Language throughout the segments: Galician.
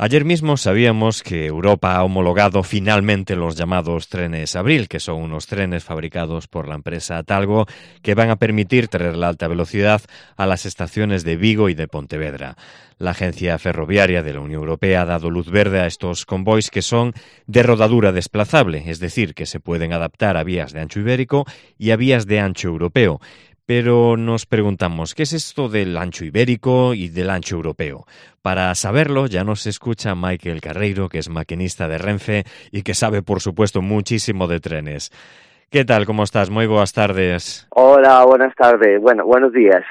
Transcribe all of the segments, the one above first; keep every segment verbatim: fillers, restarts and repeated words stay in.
Ayer mismo sabíamos que Europa ha homologado finalmente los llamados trenes Abril, que son unos trenes fabricados por la empresa Talgo que van a permitir traer la alta velocidad a las estaciones de Vigo y de Pontevedra. La Agencia Ferroviaria de la Unión Europea ha dado luz verde a estos convoys que son de rodadura desplazable, es decir, que se pueden adaptar a vías de ancho ibérico y a vías de ancho europeo. Pero nos preguntamos, ¿qué es esto del ancho ibérico y del ancho europeo? Para saberlo, ya nos escucha Michael Carreiro, que es maquinista de Renfe y que sabe, por supuesto, muchísimo de trenes. ¿Qué tal? ¿Cómo estás? Muy buenas tardes. Hola, buenas tardes. Bueno, buenos días.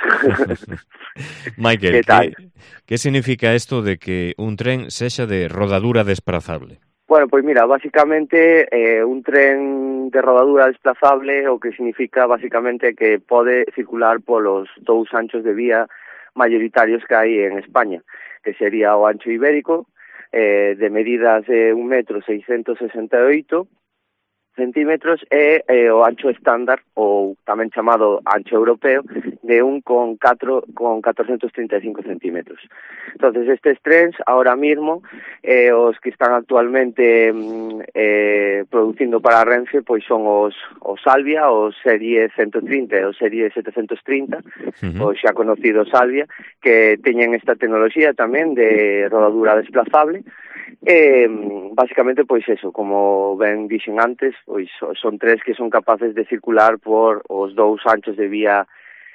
Michael, ¿qué tal? ¿qué, ¿qué significa esto de que un tren sexa de rodadura desplazable? Bueno, pues mira, básicamente eh, un tren de rodadura desplazable o que significa básicamente que pode circular polos dous anchos de vía mayoritarios que hai en España, que sería o ancho ibérico, eh, de medidas de un metro seiscentos sesenta e oito centímetros e eh, o ancho estándar, ou tamén chamado ancho europeo, de un con catro con catorcentos trinta e cinco centímetros. Entonces estes trens, ahora mismo, eh, os que están actualmente eh, producindo para Renfe, pois son os, os Salvia, os Serie ciento trinta e os Serie setecientos trinta, uh-huh. os xa conocidos Salvia, que teñen esta tecnoloxía tamén de rodadura desplazable. Eh, básicamente, pois eso, como ben dixen antes, pois son tres que son capaces de circular por os dous anchos de vía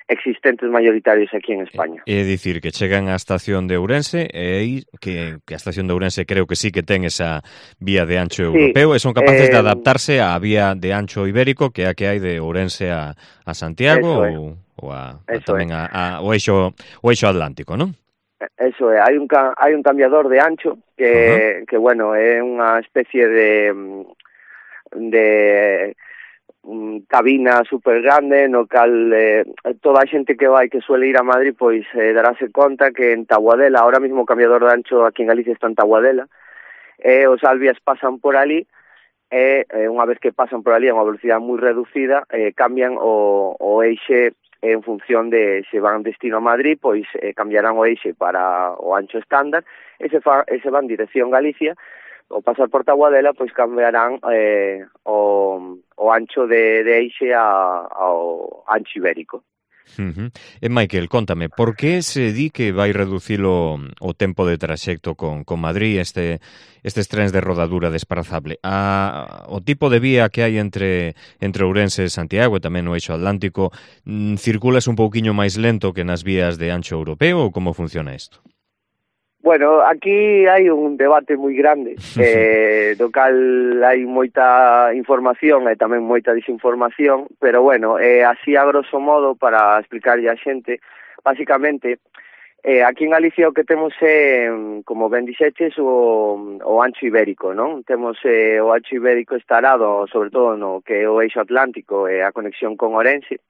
existentes mayoritarios aquí en España. É dicir, que chegan á estación de Ourense e aí que, que a estación de Ourense creo que sí que ten esa vía de ancho europeo, sí, e son capaces eh, de adaptarse á vía de ancho ibérico que é a que hai de Ourense a, a Santiago ou, ou a, a tamén a, a, o eixo o eixo atlántico, non? Eso é, hai un hai un cambiador de ancho que uh-huh. que bueno, é unha especie de de um, cabina super grande no cal eh, toda a xente que vai que suele ir a Madrid pois eh, darase conta que en Taboadela, ahora mismo o cambiador de ancho aquí en Galicia está en Taboadela, e eh, os Alvias pasan por ali e eh, unha vez que pasan por ali a unha velocidade moi reducida, eh, cambian o, o eixe en función de se van destino a Madrid, pois eh, cambiarán o eixe para o ancho estándar, e se, fa, e se van dirección Galicia, ao pasar por Taboadela, pois cambiarán eh, o, o ancho de, de eixe a, ao ancho ibérico. Uh-huh. E Michael, contame, por que se di que vai reducir o, o tempo de traxecto con, con Madrid este, estes trens de rodadura desplazable? A, o tipo de vía que hai entre, entre Ourense e Santiago e tamén no eixo atlántico, circulas un pouquiño máis lento que nas vías de ancho europeo ou como funciona isto? Bueno, aquí hai un debate moi grande, eh, do cal hai moita información e tamén moita desinformación, pero bueno, eh, así a grosso modo, para explicarlle a xente, basicamente, eh, aquí en Galicia o que temos é, como ben dixeches, o, o ancho ibérico, non? Temos eh, o ancho ibérico estarado, sobre todo no que é o eixo atlántico e a conexión con Ourense,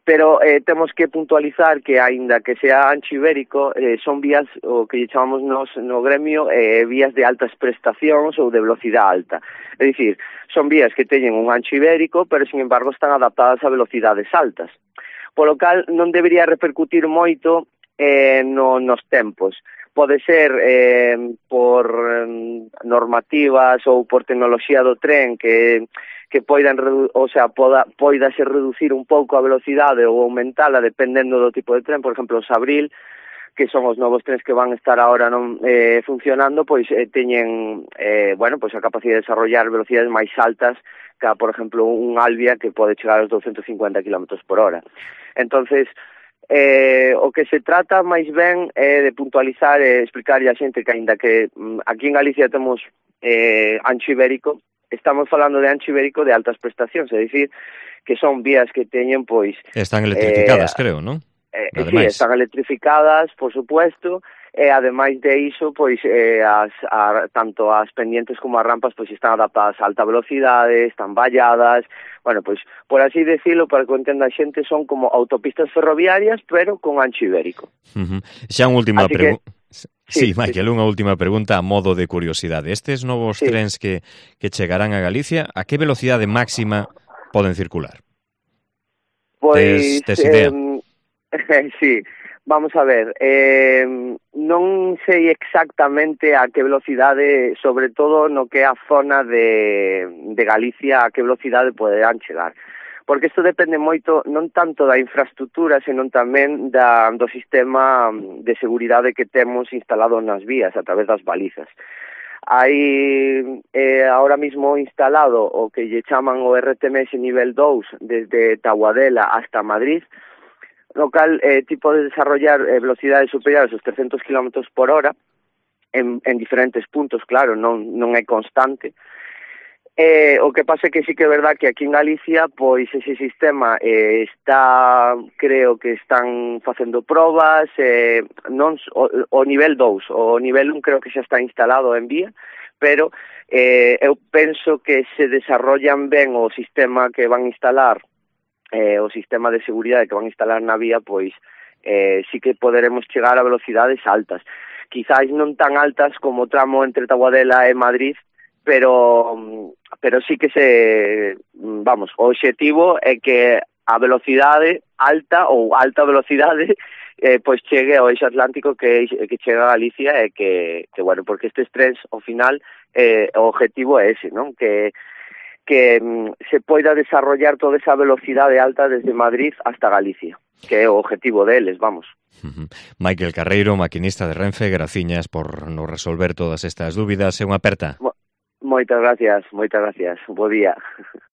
pero eh, temos que puntualizar que, aínda que sea ancho ibérico, eh, son vías, o que chamamos nos, no gremio, eh, vías de altas prestacións ou de velocidade alta. É dicir, son vías que teñen un ancho ibérico, pero, sin embargo, están adaptadas a velocidades altas. Polo cal, non debería repercutir moito eh, no, nos tempos. Pode ser eh, por eh, normativas ou por tecnoloxía do tren que que poidan, o sea, poda, poida se reducir un pouco a velocidade ou aumentala dependendo do tipo de tren. Por exemplo, os Abril, que son os novos trens que van estar ahora non eh, funcionando, pois eh, teñen eh, bueno, pois a capacidade de desarrollar velocidades máis altas que, por exemplo, un Alvia que pode chegar aos douscentos cincuenta kilómetros por hora. Entonces, eh, o que se trata máis ben é de puntualizar e explicarlle a xente que, aínda que mm, aquí en Galicia temos eh, ancho ibérico, estamos falando de ancho ibérico de altas prestacións, é dicir, que son vías que teñen, pois... Están electrificadas, eh, creo, non? Eh, sí, están electrificadas, por supuesto, e ademais de iso, pois, eh, as, a, tanto as pendientes como as rampas, pois, están adaptadas a alta velocidade, están valladas, bueno, pois, por así decirlo, para que entenda a xente, son como autopistas ferroviarias, pero con ancho ibérico. Uh-huh. Xa unha última pregunta... Sí, sí, Michael, sí. Unha última pregunta a modo de curiosidade. Estes novos sí. trens que, que chegarán a Galicia, a que velocidade máxima poden circular? Pois, tes, tes idea? Eh, sí, Vamos a ver, eh, non sei exactamente a que velocidade, sobre todo no que é a zona de, de Galicia, a que velocidade poderán chegar. Porque isto depende moito, non tanto da infraestructura, senón tamén da, do sistema de seguridade que temos instalado nas vías a través das balizas. Hai eh, ahora mismo instalado o que lle chaman o R T M S nivel dous desde Taboadela hasta Madrid, no cal eh, ti podes desarrollar eh, velocidades superiores aos trescentos kilómetros por hora en, en diferentes puntos, claro, non, non é constante. Eh, o que pasa é que sí que é verdad que aquí en Galicia pois ese sistema eh, está, creo que están facendo probas, eh, non o, o nivel dous, o nivel un creo que xa está instalado en vía, pero eh, eu penso que se desarrollan ben o sistema que van instalar, eh, o sistema de seguridade que van a instalar na vía, pois eh, sí que poderemos chegar a velocidades altas. Quizáis non tan altas como o tramo entre Taboadela e Madrid, pero pero sí que se, vamos, o obxectivo é que a velocidade alta ou alta velocidade eh, pois chegue ao eixo atlántico que que chegue a Galicia e que, que bueno, porque estes trens ao final eh, o obxectivo é ese, non? Que que mm, se poida desarrollar toda esa velocidade alta desde Madrid hasta Galicia, que é o objetivo deles, vamos. Uh-huh. Michael Carreiro, maquinista de Renfe, graciñas por nos resolver todas estas dúbidas. É unha aperta. Mo- moitas gracias, moitas gracias. Bo día.